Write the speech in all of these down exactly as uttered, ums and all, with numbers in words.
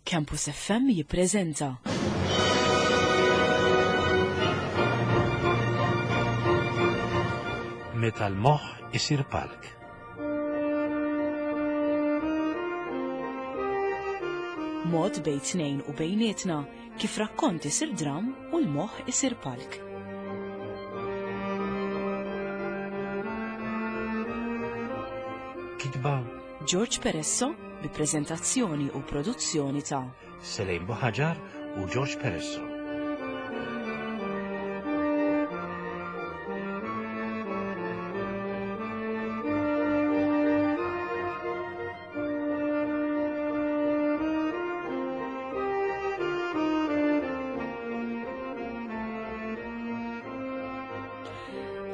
Campus F M jippreżenta Meta l-moħħ isir palk. Mod bejn tnejn u bejnietna kif rakkont isir dram u l-moħħ isir palk. Kitba George Peresso bi preżentazzjoni u produzzjoni ta' Selejn Buħaġar u George Peresso.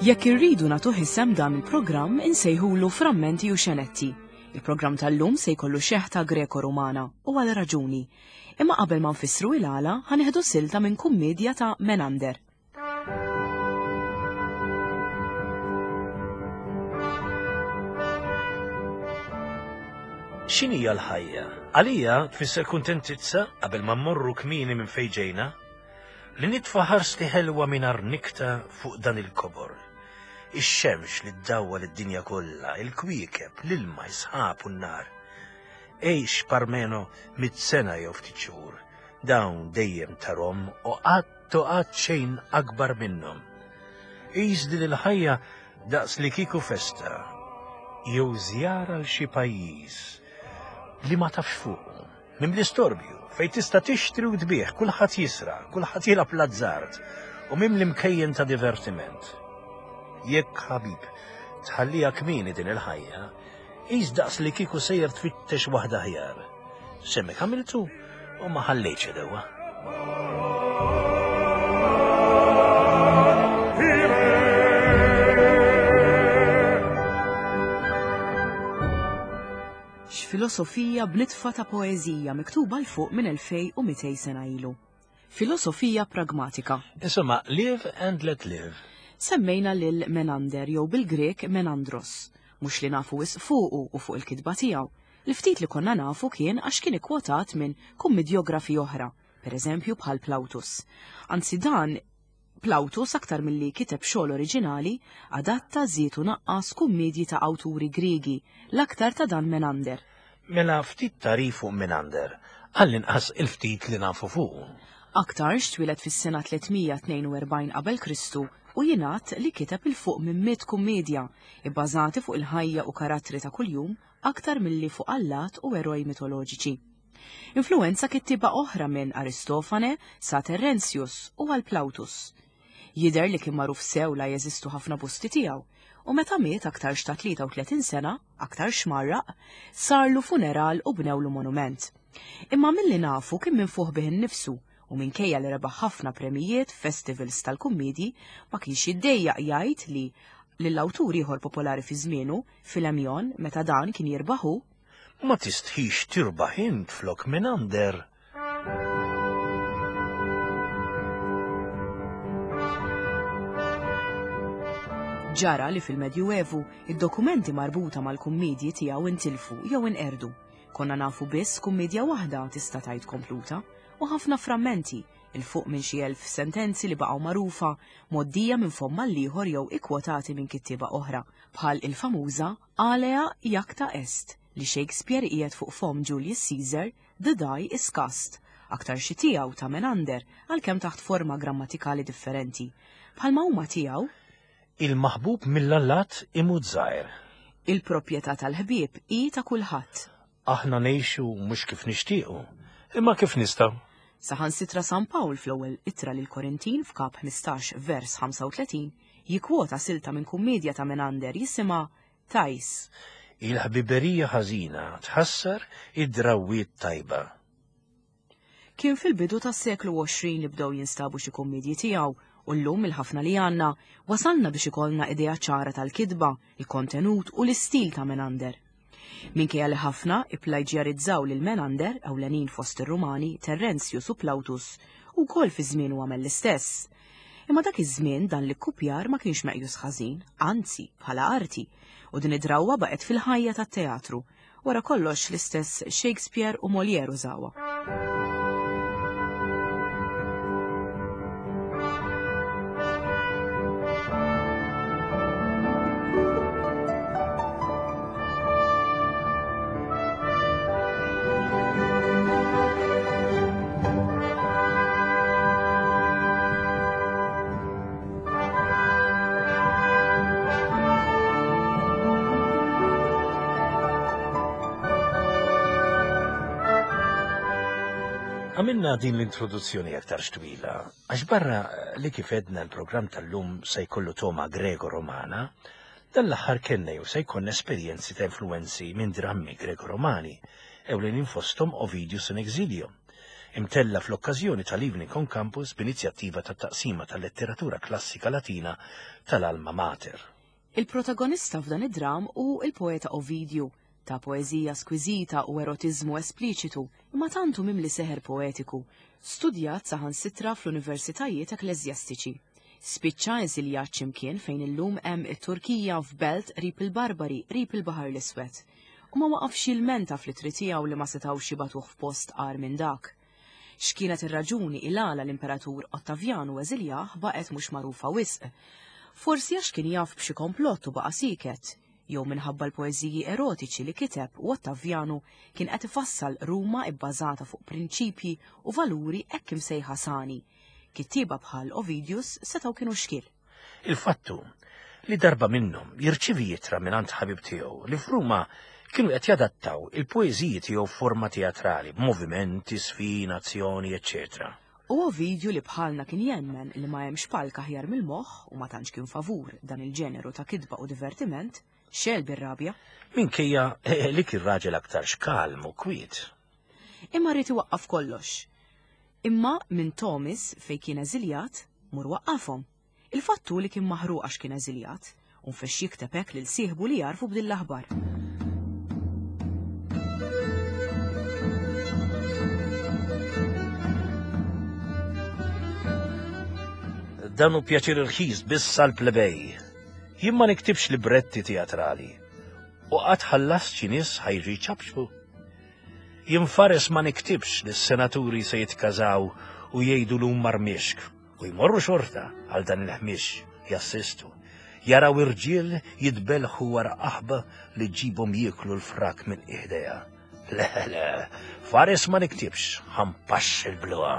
Jekk irridu nagħtu isem dan il-programm, insejħulu Frammenti u Xenetti. Il-programm tal-lum se jkollu xeħta Greko-Rumana u għal raġuni. Imma qabel ma nfissru il-għala, ħa nieħdu silta minn kummedja ta' Menander. X'inhija l-ħajja? Għalija tfisser kuntentizza qabel ma mmorru kmieni minn fejn ġejna, li nitfa' ħarsti ħelwa mingħajr nikta fuq dan il-kobor. Ix-xemx li ddawwal id-dinja kollha, il-kwiekeb, l-ilma, is-sħab u n-nar. Għix parmeno mitt sena jew ftit xhur, dawn dejjem tarhom u qatt u qatt xejn akbar minnhom. Qis din il-ħajja daqs li kieku festa jew żjara l xi pajjiż li ma tafx fuqu, minn l-istorbju, fejn tista' tixtri u tbigħ, kulħadd jisra, kulħadd jilgħab l-azzard u minn l-imkejjen ta' divertiment. Jekk ħabib tħallija kmieni din il-ħajja, qis daqs li kieku sejjer tfittex waħda aħjar. Semmek għamiltu u ma ħallejtx idewwa. X'filosofija b'nitfa ta' poeżija miktuba 'l fuq minn elfejn u mitejn sena ilu. Filosofija pragmatika. Insomma, live and let live. Semmejna lil Menander jew bil-Grek Menandros, mhux li nafu wisq fuqu u fuq il-kitba tiegħu. Li ftit li konna nafu kien għax kien ikkwotat minn kummedjografi oħra, per eżempju bħal Plautus. Anzi dan Plautus aktar milli kiteb xogħol oriġinali, adatta, żied u naqqas kummedji ta' awturi Griegi, l-aktar ta' dan Menander. Mela ftit tagħrif fuq Menander, għall-inqas il-ftit li nafu fuqu. Aktarx twieled fis-sena tlietmija tnejn u erbgħin qabel Kristu u jingħad li kiteb il fuq minn mitt kummedja, ibbażati fuq il-ħajja u karattri ta' kuljum aktar milli fuq allat u eroj mitoloġiċi. Influenza kittieba oħra minn Aristofane sa Terentius u għal Plautus. Jidher li kien magħruf sew la jeżistu ħafna busti tiegħu, u meta miet aktarx ta' tlieta u tletin sena, aktarx marraq, sarlu funeral u bnewlu monument. Imma milli nafu kien minfuħ bih innifsu, u minkejja li rebaħ ħafna premijiet festivals tal-kummedji, ma kienx jiddejjaq jgħid li lill-awtur ieħor popolari fi żmienu, Filemjon, meta dan kien jirbaħu, Ma tistħix tirbaħ int flok Menander. Ġara li fil-Medjuevu id-dokumenti marbuta mal-kummedji tiegħu intilfu jew inqerdu. Konna nafu biss kummedja waħda tista' tgħid kompluta u ħafna frammenti, il fuq minn xi elf sentenzi li baqgħu magħrufa, mgħoddija minn fomm għall-ieħor jew ikkwotati minn kittieba oħra, bħal il-famuża Alea Iacta Est li Shakespeare qiegħed fuq fomm Julius Caesar, The Die is Cast, aktar xi tiegħu ta' Menander għalkemm taħt forma grammatikali differenti. Bħalma huma tiegħu Il-maħbub mill-allat imut żgħir. Il-proprjetà tal-ħbieb hi ta' kulħadd. Aħna ngħixu mhux kif nixtiequ, imma kif nistgħu. Saħansitra San Pawl fl-ewwel ittra lil Korintin f'kap ħmistax vers ħamsa u tletin jikkwota silta minn kummedja ta' Menander jisimha Tajs. Il-ħbiberija ħażina tħassar id-drawwiet tajba. Kien fil-bidu tas-seklu għoxrin li bdew jinstabu xi kummedji tiegħu u llum il-ħafna li għandna wasalna biex ikollna idea ċara tal-kitba, il-kontenut u l-istil ta' Menander. Minkejja li ħafna ipplaġjarizzaw lil Menander ewlenin fost ir-Rumani, Terentius u Plautus, u wkoll fi żmienu għamel l-istess. Imma dak iż-żmien dan l-ikkupjar ma kienx meqjus ħażin, anzi bħala arti, u din id-drawwa baqgħet fil-ħajja tat-teatru, Wara kollox l-istess Shakespeare u Molière użawha. Għamilna din l-introduzzjoni aktar twila, għax barra li kif edna l-programm tal-lum se jkollu toma Grego-Romana, dan l-aħħar kellna jew se jkollna esperjenzi ta' influenzi minn drammi Grego-Romani, ewlenin fosthom Ovidius in Exilio, imtella fl-okkażjoni tal-Evening on Campus b'inizjattiva ta' taqsima tal-letteratura klassika Latina tal-Alma Mater. Il-protagonista f'dan id-dram hu il-poeta Ovidiu, ta' poeżija skwiżita u erotiżmu espliċitu, imma tantu mimli seħer poetiku, studjat saħansitra fl-universitajiet ekkleżjastiċi. Spiċċa eżiljat x'imkien fejn illum hemm it-Turkija f'belt qrib il-Barbari, qrib il-Baħar l-Iswed. U ma waqafx jilmenta fl-ittri tiegħu li ma setgħux jibagħtuh f'post agħar minn dak. X'kienet ir-raġuni il-għala l-Imperatur Ottavjanu eżiljah baqgħet mhux magħrufa wisq. Forsi għax kien jaf b'xi komplott u baqa' siket, jew minħabba l-poeżiji erotiċi li kiteb u Ottavjanu kien qed ifassal Ruma ibbażata fuq prinċipji u valuri hekk imsejħa sani. Kittieba bħal Ovidius setgħu kienu xkiel. Il-fattu li darba minnhom jirċievi ittra mingħand ħabib tiegħu li f'Ruma kienu qed jadattaw il-poeżiji tiegħu f'forma teatrali, b'movimenti, sfin, azzjoni, eċċetera. U Ovidiu li bħalna kien jemmen li ma hemmx palk aħjar mill-moħħ u ma tantx kien favur dan il-ġeneru ta' kitba u divertiment, xel bir-rabja. Minkejja li kien raġel aktar xkalm u kwiet. Imma rrid iwaqqaf kollox. Imma minn Tomis fejn kien eżiljat, mur waqqafhom. Il-fattu li kien maħruq għax kien eżiljat, u nfex jikteb hekk lil sieħbu li jarfu b'din l-aħbar. Dan hu pjaċir irħis biss għall-plebej. Jien ma niktibx libretti teatrali u qatt ħallast xi nies ħajġu jċabxu. Jien fares ma niktibx li s-senaturi se jitkażaw u jgħidu l marmixk u jmorru xorta għal dan il-ħmix jassistu. Jaraw irġiel jitbelħu wara qaħba li ġibhom jieklu l-frak minn iħdejha. Le, le, fares ma niktibx, ħampax il-bluha.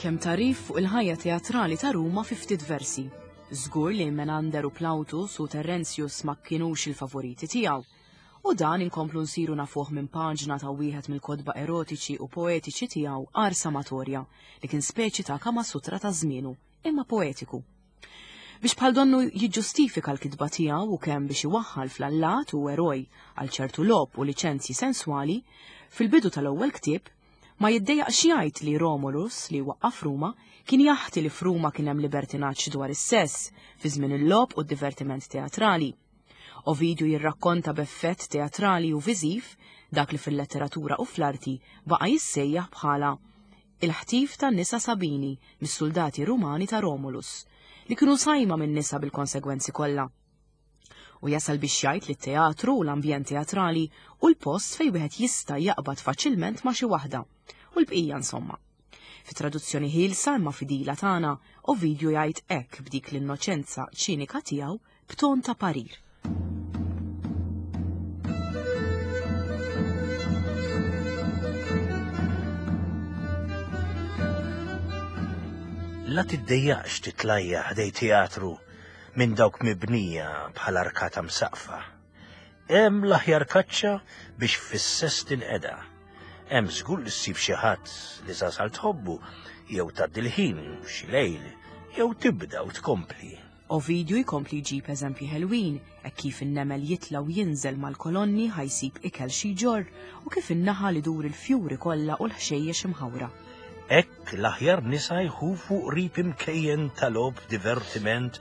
Kemm tarif fuq il-ħajja teatrali ta' Ruma fi ftit versi. Żgur li Menander u Plautus u Terentius ma kienux il-favoriti tiegħu. U dan inkomplu nsiru nafuh minn paġna ta' wieħed mill-kotba erotiċi u poetiċi tiegħu Ars Amatoria, li kien speċi ta' Kama Sutra ta' żmienu, imma poetiku. Biex bħal donnu jiġġustifika l-kitba tiegħu u kemm biex iwaħħal fl-allat u eroj għal ċertu logħob u liċenzji senswali, fil-bidu tal-ewwel ktieb ma jiddejjaqx jgħid li Romulus, li waqqaf Ruma, kien jaħti li f'Ruma kien hemm libertinaġġ dwar is-sess fi żmien il-logħob u d-divertiment teatrali. Ovidiu jirrakkonta b'effett teatrali u viżiv dak li fil-letteratura u fl-arti baqa' jissejjaħ bħala il-ħtif tan-nisa Sabini mis-soldati Rumani ta' Romulus, li kienu sajma minn nisa bil-konsegwenzi kollha. U jasal biex jgħid li t-teatru u l-ambjent teatrali u l-post fejn wieħed jista' jaqbad faċilment ma' xi waħda. U l-bqija insomma. Fi traduzzjoni ħielsa imma fidila tagħna, Ovidiu jgħid hekk b'dik l-innoċenza ċinika tiegħu b'ton ta' parir. La tiddejjaqx titlajja ħdej teatru minn dawk mibnija bħal arkata msaqfa. Hemm l-aħjar kaċċa biex fis-sess tinqeda. Hemm żgur li ssib xi ħadd li sasal tħobbu jew tgħaddi l-ħin xi lejl jew tibda u tkompli. Ovidiu jkompli jġib eżempji ħelwin, hekk kif in-nemel jitla u jinżel mal-kolonni ħajsib ikel xi jġorr u kif in-naħa li dur il-fjuri kollha u l-ħxejjex imħawra. Hekk l-aħjar nisa jħufu qrib imkejjen tal-logħob divertiment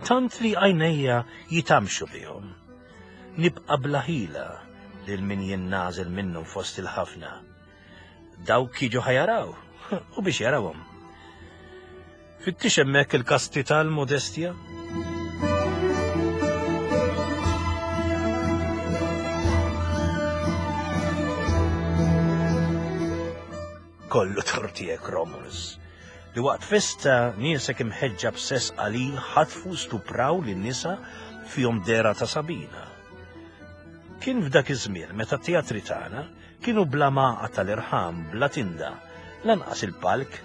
tant li għajnejja jitamxu bihom. Nibqa' bla ħila lil min jinnażel minnhom fost il-ħafna. Dawk jiġu ħajaraw u biex jarawhom. Fittix hemmhekk il-kasti tal-modestja? Kollu tortijek, Romulus, li waqt festa niesek imħeġġa b'sess qalil ħatfu stupraw lin-nisa fihom dera ta' Sabina. Kien f'dak iż-żmien meta t-teatri tagħna kienu bla maqa tal-irħam, bla tinda, lanqas il-palk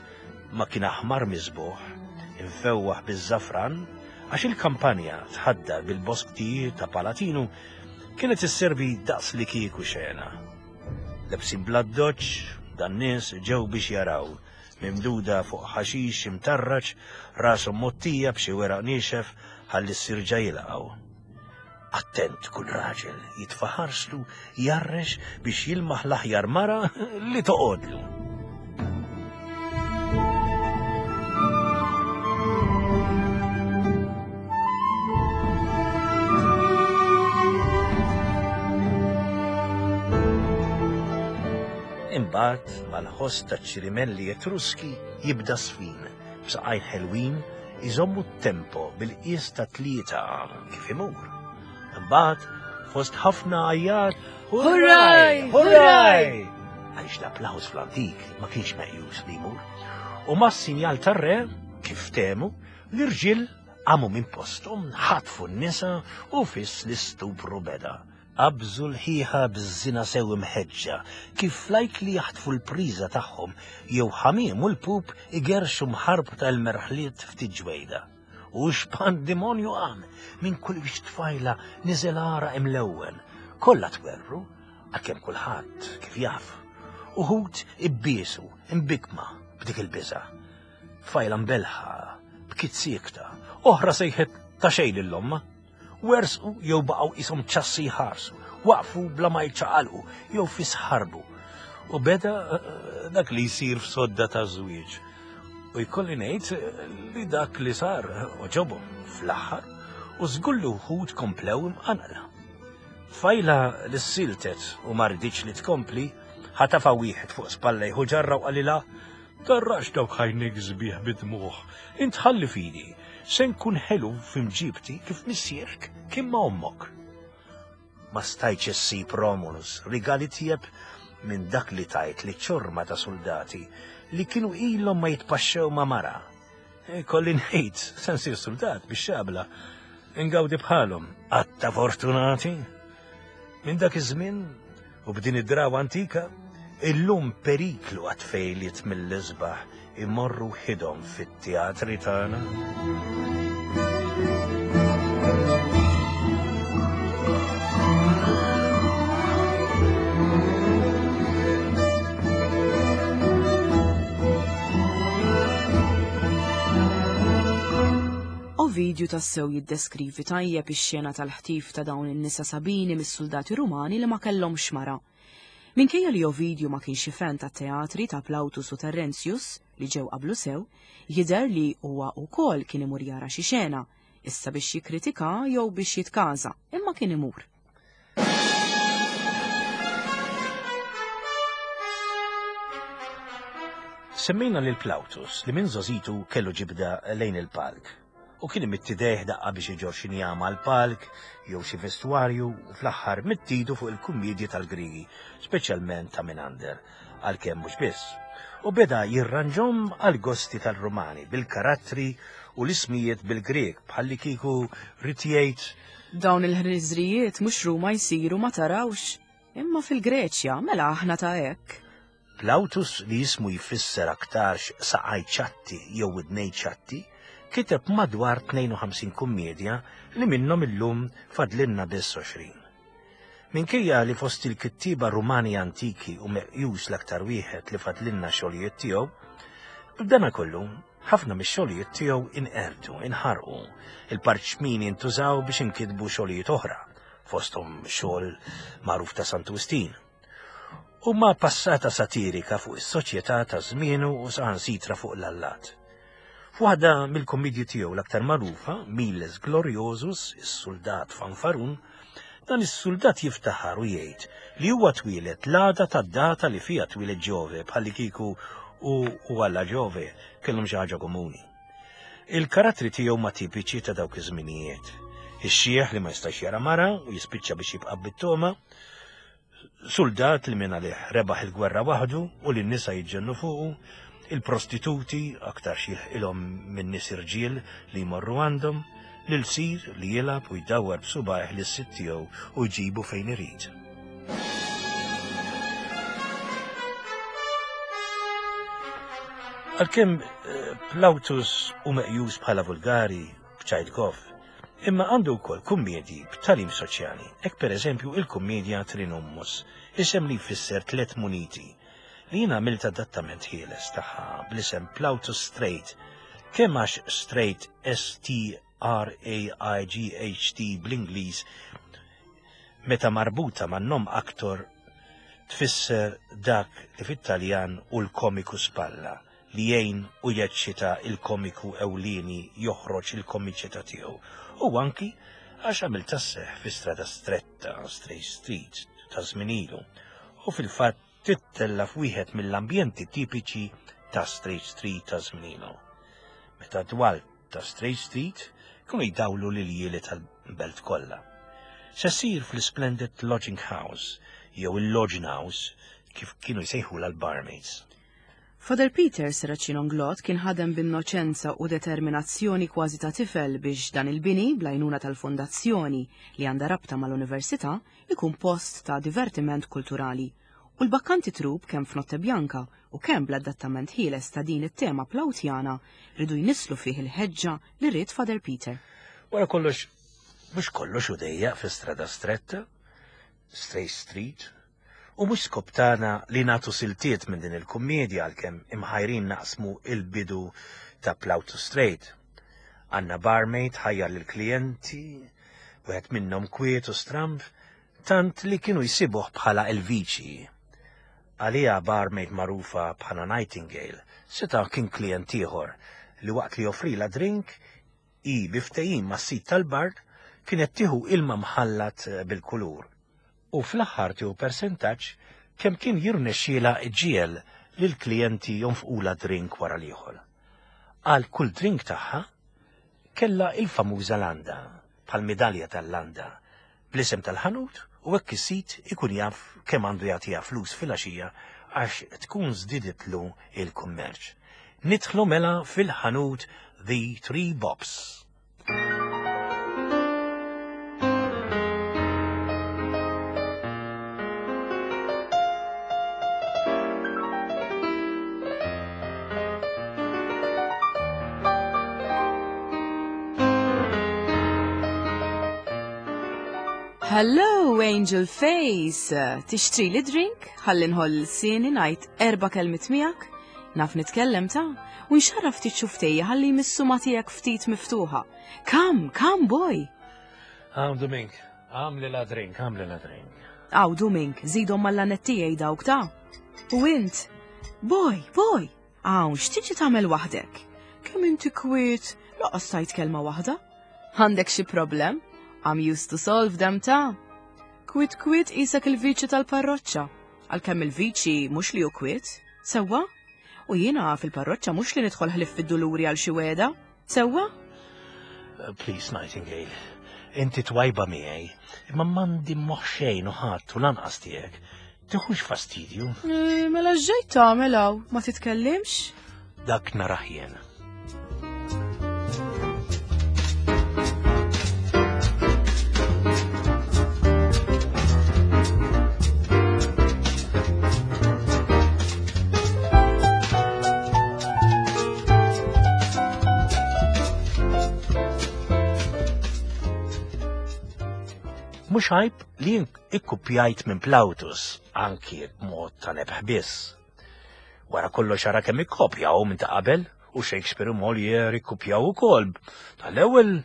ma kien aħmar miżbuħ, imfewwaħ biż-żafran, għax il-kampanja tħaddar bil-bosktijiet ta' Palatinu kienet isservi daqs li kieku xena. Lebsin bla doċ, dan nies ġew biex jaraw, mimduda fuq ħaxix imtarraġ, rashom mottija b'xi weraq niexef ħalli s-sirġa jilqgħu. Attent kull raġel jitfaħarslu jarrex biex jilmaħ l-aħjar mara li toqgħodlu. Imbagħad mal-ħoss taċ-ċirimelli Etruski jibda sfin b'saqajn ħelwin iżommu t-tempo bil-qies ta' tlieta kif imur. Imbagħad fost ħafna għajjat Hurraj! Hurraj! Għaliex l-applaws fl-antik ma kienx meqjus li jmur. U mas-sinjal tar-re, kif temu, l-irġiel qamu minn posthom, ħatfu n-nisa u fis l-istupru beda. Qabżu l-ħiħa biż-żina sew imħeġġa, kif lajk li jaħtfu l-priża tagħhom jew ħamiem u l-pup igerxu mħarb tal-merħliet ftit ġwejda. U x'pandimonju qam minn kull biex tfajla niżel ara imlewwen, kollha twerru, għalkemm kulħadd kif jaf. Uħud ibbiesu, imbikma b'dik il-biża. Tfajla mbelħa, bkiet siekta, oħra sejħet ta' xejn lill-omma. Wersqu jew baqgħu qishom ċassi jħarsu, waqfu bla ma jċaqalqu jew fis ħarbu. U beda dak li jsir f'sodda ta' żwieġ. U jkolli ngħid li dak li sar oġobhom fl-aħħar u żgur li wħud komplew imqanqla. Tfajla li ssiltet u ma rriditx li tkompli, ħatafa wieħed fuq spallejh u ġarra u qalilha, tarrax dawk ħajnik sbieħ bid-dmugħ, intħalli fidi, se nkun ħelu f'imġibti kif missierek kien ma' ommok. Ma stajtx issib Romulus rigali tieb minn dak li tajt li ċorma ta' soldati li kienu ilhom ma jitpaxxew ma' mara. Kolli ngħid, se nsir soldat biex xabla, ingawdi bħalhom, għatta fortunati. Minn dak iż-żmien u b'din id-drawa antika, illum periklu għat-tfejliet mill-isbaħ imorru ħidhom fit-teatri tagħna. Ovidju tassew jiddeskrivi tajjeb ix-xena tal-ħtif ta' dawn in-nisa Sabini mis-soldati Rumani li ma kellhomx mara. Minkejja li Ovidju ma kienx fan ta' teatri ta' Plautus u Terentius li ġew qablu sew, jidher li huwa wkoll kien imur jara xi xena, issa biex jikkritika jew biex jitkaża, imma kien imur. Semmejna lil Plautus li minn żożitu kellu ġibda lejn il-palk. U kien imitti dejh daqqa biex iġor xi njama għall-palk jew xi vestwarju u fl-aħħar mittidu fuq il-kummedji tal-Grigi, speċjalment ta' Menander, għalkemm mhux biss. U beda jirranġhom għal gosti tal-Rumani bil-karattri u l-ismijiet bil-Grek bħalli kieku rid jgħid Dawn il-ħriżrijiet mhux Ruma jsiru ma tarawx, imma fil-Greċja mela aħna ta' hekk. Plautus li jismu jfisser aktarx saqaj ċatti jew widnej ċatti, kiteb madwar tnejn u ħamsin kummedja li minnhom illum fadlinna biss għoxrin. Minkejja li fost il-kittieba Rumani antiki u meqjus l-aktar wieħed li fadlinna xogħlijiet tiegħu, b'dana kollu ħafna mix-xogħlijiet tiegħu inqerdu, inħarqu, il-parċmini intużaw biex inkitbu xogħlijiet oħra, fosthom xogħol magħruf ta' Santu Wistin. U ma passata satirika fuq is-soċjetà ta' żmienu u saħansitra fuq l-allat. F'waħda mill-kommedji tiegħu l-aktar magħrufa, Miles Gloriosus, is-suldat fanfarun, dan is-suldat jiftaħar u jgħid li huwa twieled l-għada tad-data li fiha twieled Ġove, bħalli kieku u u Alla Ġove kellhom xi ħaġa komuni. Il-karattri tiegħu ma tipiċi ta' dawk iż-żminijiet. Ix-xieħ li ma jistax jara mara u jispiċċa biex jibqa' bit-toma, suldat li minn għalih rebaħ il-gwerra waħdu u li n-nisa jiġġennu fuqu, il-prostituti aktar ilhom minn nies irġiel li jmorru għandhom, l-ilsir li jilgħab u jdawwar b'subgħajh lis-sid tiegħu u jġibu fejn irid. Għalkemm Plautus hu meqjus bħala vulgari b'ċajt goff, imma għandu wkoll kummedji b'tagħlim soċjali, hekk pereżempju il-kummedja Trinommus, isem li jfisser tliet muniti, li jien għamilt adattament ħieles tagħha bl-isem Plautus Straight, kemm għax Straight S T R A I G H T bl-Ingliż meta marbuta man nom aktor tfisser dak li fit-Taljan u l-komiku spalla, li jgħin u jeċċita il-komiku ewlieni joħroġ il-komiċità tiegħu. U anki għax għamil tasseħ fi strada stretta, Straight Street, ta' żmien ilu, u fil-fatt tittella f'wieħed mill-ambjenti tipiċi ta' Straight Street ta' żmien ilu. Meta dwal ta' Straight Street kienu jdawlu l-iljieli tal-belt kollha. Se ssir fl-Splendid Lodging House jew il-Lodging House kif kienu jsejħu l-barmaids. Father Peter Serracino Inglott kien ħadem b'innoċenza u determinazzjoni kważi ta' tifel biex dan il-bini bl-għajnuna tal-fondazzjoni li għandha rabta mal-università ikun post ta' divertiment kulturali. U l-Bakkanti Troupe kemm f'Notte Bianca u kemm bl-adattament ħieles ta' din it-tema Plautjana ridu jnisslu fih il-ħeġġa li ried Father Peter. Wara kollox, mhux kollox hu dejjaq fi strada stretta, Straight Street, u mhux skop tagħna li nagħtu siltiet minn din il-kummedja għalkemm imħajrin naqsmu il-bidu ta' Plautus Straight. Għandna barmaid ħajjar lill-klijenti, wieħed minnhom kwiet u stramb, tant li kienu jsibuh bħala il-viċi. Għalija barmaid magħrufa bħala Nightingale seta' kien klient ieħor li waqt li joffrilha drink i bi ftehim mas-sid tal-bar kienet tieħu ilma mħallat bil-kulur. U fl-aħħar tieħu persentaġġ kemm kien jirnexxielha ġiel lill-klijenti jonfqula drink wara l-ieħor. Għal kull drink tagħha kellha il-famuża landa, bħal medalja tal-landa, bl-isem tal-ħanut u hekk is-sid ikun jaf kemm għandu jagħtiha flus fil-għaxija għax tkun żdiditlu il-kummerċ. Nidħlu mela fil-ħanut The Three Bobs. Hello, Angel Face! Tixtri li drink? Ħalli nħoll lsieni ngħid erba' kelmiet miegħek? Naf nitkellem ta' u nxarraf ftit xuftejja ħalli jmissu ma tiegħek ftit miftuħa. Come, come boy! Għaw Domink, għamli la drink, għamli la drink. Għaw Domink, żidhom mal-lanet tiegħi dawk ta'. U int? Boy, boy! Għaw, x'tiġi tagħmel waħdek? Kemm inti kwiet, laqas tajt kelma waħda? Għandek xi problem? I'm used to solve them ta'. Kwit kwit isek il-viċi tal-parroċċa. Għalkemm il-viċi mhux li hu kwiet, sewwa? U jiena fil-parroċċa mhux li nidħol ħlif fid-duluri għal xi weda, sewwa? Please, Nightingale, inti twajba miegħi, imma m'għandi moħħ xejn u ħadd u lanqas tiegħek. Tiħux fastidju. Eh, mela x'ġejt tagħmel hawn, ma titkellimx? Dak narah jien. Mhux għajb li jien ikkupjajt minn Plautus, anki b'mod ta' nebħ biss. Wara kollox ara kemm ikkopjaw minn ta' qabel u Shakespeare u Molière ikkupjaw ukoll. Tal-ewwel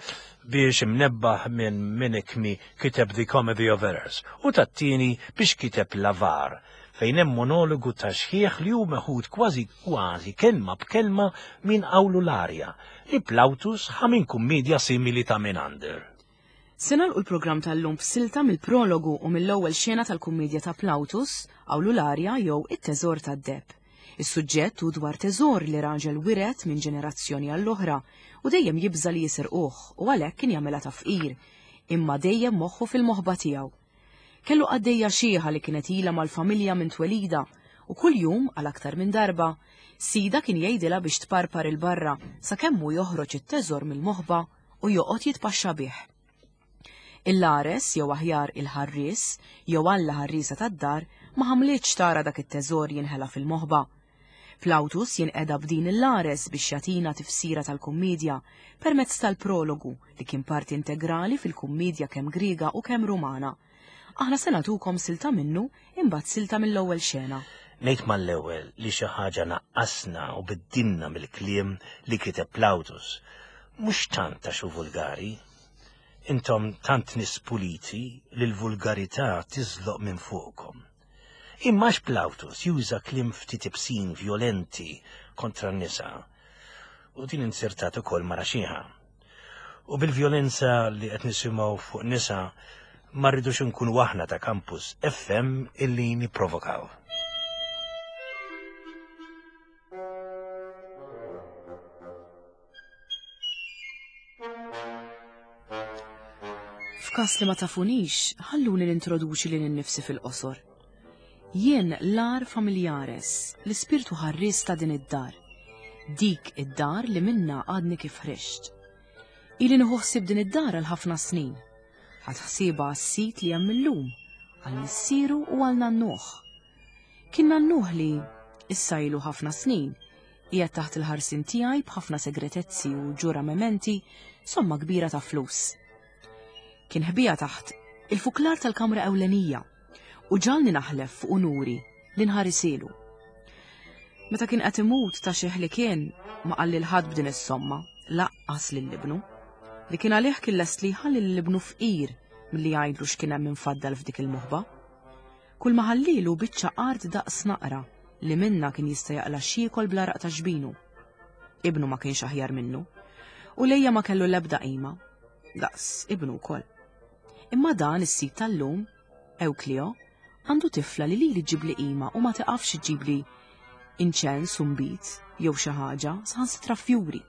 biex imnebbaħ minn Menaechmi kiteb The Comedy of Errors u tat-tieni biex kiteb L'Avare, fejn hemm monologu ta' xħieħ li hu meħud kważi kważi kelma b'kelma minn Awlularia li Plautus ħa minn kummedja simili ta' Menander. Se nagħlqu l-programm tal-lum b'silta mill-prologu u mill-ewwel xena tal-kummedja ta' Plautus, Awlularia jew It-Teżor tad-Deheb. Is-suġġett hu dwar teżor li raġel wiret minn ġenerazzjoni għall-oħra u dejjem jibża li jisirquh u għalhekk kien jagħmilha ta' fqir, imma dejjem moħħu fil-moħba tiegħu. Kellu qaddejja xieħa li kienet ilha mal-familja minn twelida u kuljum għal aktar minn darba sida kien jgħidilha biex tparpar il-barra sakemm hu joħroġ it-teżor mill-moħba u joqgħod jitpaxxa bih. Il-lares jew aħjar il-ħarries jew alla ħarriesa tad-dar ma ħamlitx tara dak it-teżor jinħela fil-moħba. Plautus jinqeda b'din il-lares biex jagħtina tifsira tal-kummedja permezz tal-prologu li kien parti integrali fil-kummedja kemm Griega u kemm Rumana. Aħna se nagħtukom silta minnu imbagħad silta mill-ewwel xena. Ngħid mal-ewwel li xi ħaġa naqqasna u biddilna mill-kliem li kiteb Plautus, mhux tant għax hu vulgari. Intom tant nies puliti li l-vulgarità tiżloq minn fuqkom. Imma Plautus juża kliem ftit ibsin violenti kontra n-nisa u din insertat ukoll mara xieħa. U bil-vjolenza li qed nisimgħu fuq nisa ma rridux nkunu aħna ta' Campus F M illi nipprovokaw. F'każ li ma tafunix, ħalluni nintroduċi lil innifsi fil-qosor. Jien l-ar familjares, l-ispirtu ħarries ta' din id-dar. Dik id-dar li minna għadni kif ħriġt. Ili nieħu ħsieb din id-dar għal ħafna snin. Ħadd ħsiebha għas-sit li hemm illum, għal missieru u għal nannuh. Kien nannuh li, issa ilu ħafna snin, qiegħed taħt il-ħarsin tiegħi b'ħafna segretezzi u ġuramenti somma kbira ta' flus. Kien ħbija taħt il-fuklar tal-kamra ewlenija u ġalni naħlef fuq unuri li nħarisilu. Meta kien qed imut ta' xieħ li kien ma qalli l-ħadd b'din is-somma, laqqas lil ibnu, li kien għalih kien lest li jħalli lil ibnu fqir milli jgħidlu x'kien hemm infaddal f'dik il-moħba. Kull ma ħallilu biċċa art daqs naqra li minna kien jista' jaqla' xiekol bla raq ta' xbinu. Ibnu ma kienx aħjar minnu, u lejja ma kellu l-ebda qima, daqs ibnu wkoll. Imma dan is-sit tal-lum, Ewklio, għandu tifla li lili ġibli qima u ma tiqafx iġibli inċens u nbid jew xi ħaġa saħansitra fjuri.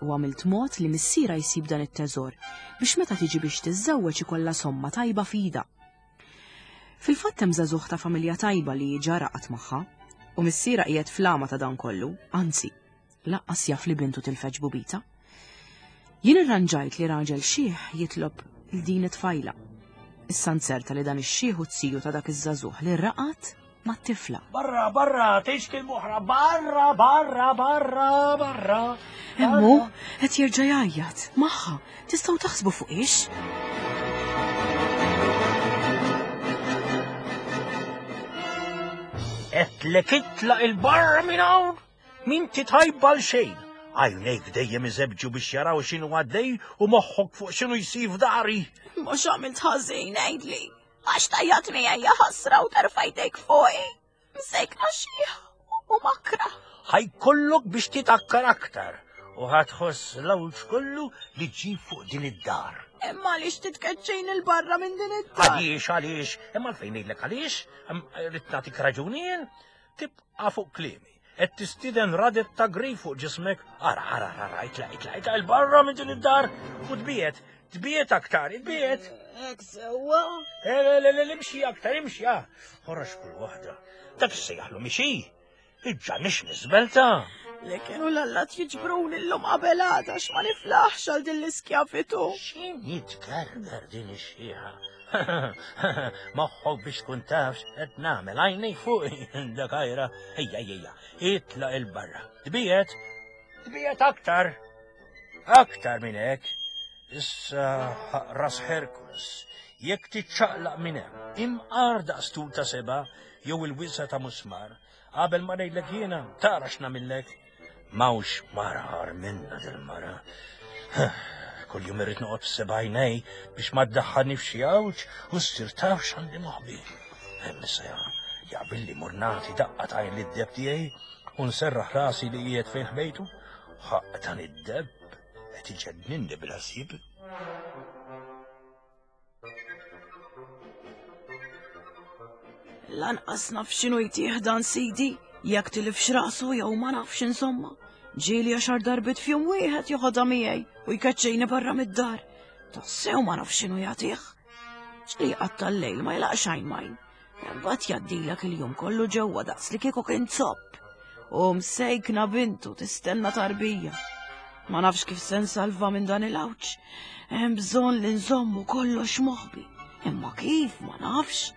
U għamilt mod li missiera jsib dan it-teżor biex meta tiġi biex tiżżewweġ ikollha somma tajba f'idha. Fil-fatt hemm żagħżugħ ta' familja tajba li ġa raqat magħha u missiera qiegħed flama ta' dan kollu, anzi, laqqas jaf li bintu tilfeġ bubita. Jien irranġajt li raġel xieħ jitlob lil din it-tfajla. Issa nzerta li dan ix-xieħ u t-siju ta' dak iż-żagħżugħ li raqat mat-tifla. Barra, barra, tgħix kelma oħra, barra, barra, barra, barra. Emmu, qed jerġa' jgħajjat, magħha, tistgħu taħsbu fuq ix? Qedlek itlaq il-barra minn hawn, m'inti tajba għal xejn. Għajnejk dejjem iżebġu biex jaraw x'inhu għaddej u moħħok fuq x'inhu jsir f'dari. Mhux għamilt ħażin, għidli. Għax tajjat miegħi ħasra u terfajtek fuqi. Msejkna xieħ u makra. Ħajkollok biex titakkar aktar u ħatħoss l-għawġ kollu li ġib fuq din id-dar. Imma għaliex titkeċċejn il-barra minn din id-dar? Għaliex, għaliex, imma għalfejn ngħidlek għaliex, rrid nagħtik raġuni jien, tibqa' fuq kliemi. Qed tistieden radet ta' grif fuq ġismek. Ara, ara, ara, itlaq, itlaq, itlaq il-barra minn din id-dar u tbiet, tbiet aktar, tbiet. Hekk sewwa. Le, le, le, le, imxi aktar, imxi, ah. Ħorax kull waħda. Dak issejjaħlu mixi. Iġġa nix nisbelta. Li kienu l-allat jiġbruni llum qabel għada għax ma niflaħx għal din l-iskjavitu. X'in jitgerger din ix-xieħa? Moħħok biex tkun taf x'qed nagħmel, għajnej fuqi dak għajra. Ejja, ejja, ejja, itlaq il-barra. Tbiet, tbiet aktar. Aktar minn hekk. Issa ras Herkules, jekk tiċċaqlaq minn hemm, imqar daqs tul ta' seba' jew il-wisa ta' musmar, qabel ma ngħidlek jiena, tara x'nagħmillek. Mawx mara ħar minna dil-mara. Kull jum irrid noqgħod f'seba' għajnej biex ma ddaħħalni f'xi għawġ u ssir taf x'għandi moħbi. Hemm issa Jaqbilli mur nagħti daqqa t'għajn lid-deb tiegħi u nserraħ rasi li qiegħed fejn ħbejtu. Ħaqq dan id-deb qed iġenninni bil-ħsieb. Lanqas naf x'inhu jtih dan sidi, jekk tilifx rasu jew ma nafx insomma. Ġieli għaxar darbiet f'jum wieħed joħodha miegħi u jkeċċejni barra mid-dar. Tassew ma nafx x'inhu jagħtih. Ġieli jqatta' l-lejl ma jlaqx għajn m'għajn. Imbagħad jgħaddilek il-jum kollu ġewwa daqs li kieku kien zopp. U msejkna bintu tistenna tarbija. Ma nafx kif se nsalva minn dan il-għawġ. Hemm bżonn li nżommu kollox moħbi. Imma kif ma nafx.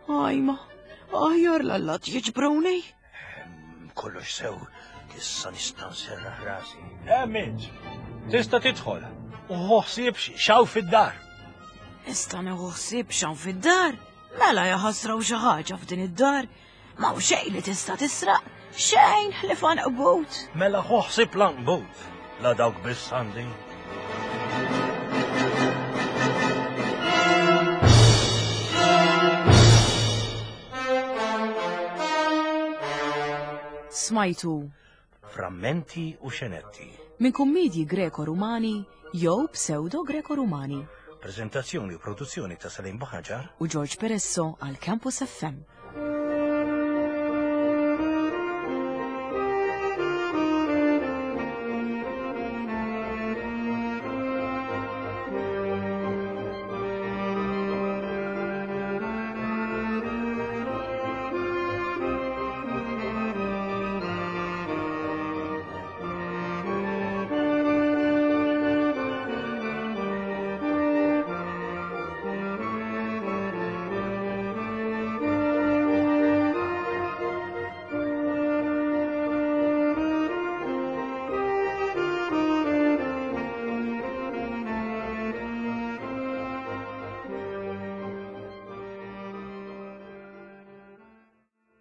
Ajma, aħjar l-allat jiġbruni. Kollox sew, issa nista' nserraħ rasi. Hemm int, tista' tidħol. U ħu ħsieb x'hawn fid-dar. Nista' nieħu ħsieb x'hawn fid-dar? Mela jaħasraw xi ħaġa f'din id-dar. M'hawn xejn li tista' tisraq, xejn ħlief għanqbut. Mela ħu ħsieb l-għanqbut, la dawk biss għandi. Smajtu Frammenti u xenetti. Minn kummedji Greko-Rumani jew pseudo-Greko-Rumani. Prezentazzjoni u produzzjoni ta' Salim Buhaġar u George Peresso għal Campus F M.